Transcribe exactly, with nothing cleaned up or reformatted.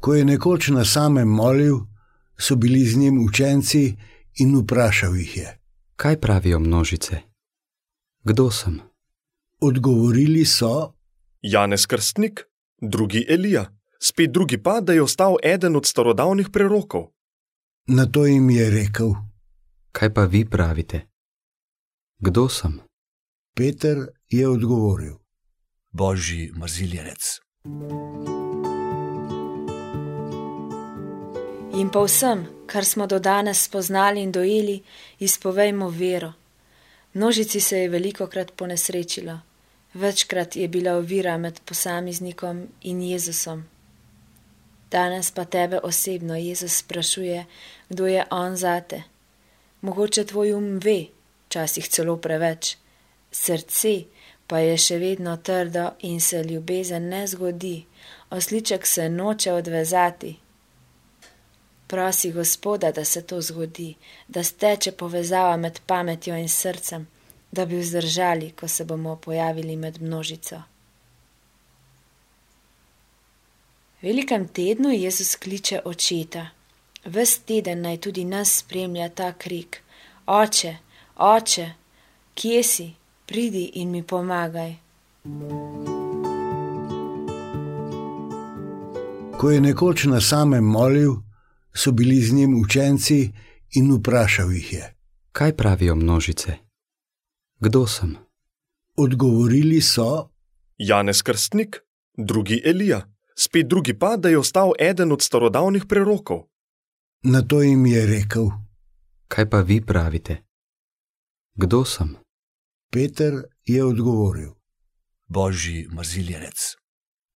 Ko je nekoč na samem molil, so bili z njim učenci in vprašal jih je: Kaj pravijo množice? Kdo sem? Odgovorili so: Janez Krstnik, drugi Elija, spet drugi pa, da je ostal eden od starodavnih prerokov. Nato jim je rekel: Kaj pa vi pravite? Kdo sem? Peter je odgovoril: Božji maziljenec. In po vsem, kar smo do danes spoznali in dojeli, izpovejmo vero. Množici se je velikokrat ponesrečilo. Večkrat je bila ovira med posameznikom in Jezusom. Danes pa tebe osebno Jezus sprašuje, kdo je on zate. Mogoče tvoj um ve, včasih celo preveč, srce pa je še vedno trdo in se ljubezen ne zgodi, osliček se noče odvezati. Prosi Gospoda, da se to zgodi, da steče povezava med pametjo in srcem, da bi vzdržali, ko se bomo pojavili med množico. V velikem tednu Jezus kliče očeta. Ves teden naj tudi nas spremlja ta krik: Oče, Oče, kje si? Pridi in mi pomagaj. Ko je nekoč na samem molil, so bili z njim učenci in vprašal jih je: Kaj pravijo množice? Kdo sem? Odgovorili so: Janez Krstnik, drugi Elija, spet drugi pa, da je ostal eden od starodavnih prerokov. Nato jim je rekel: Kaj pa vi pravite? Kdo sem? Peter je odgovoril: Božji maziljenec.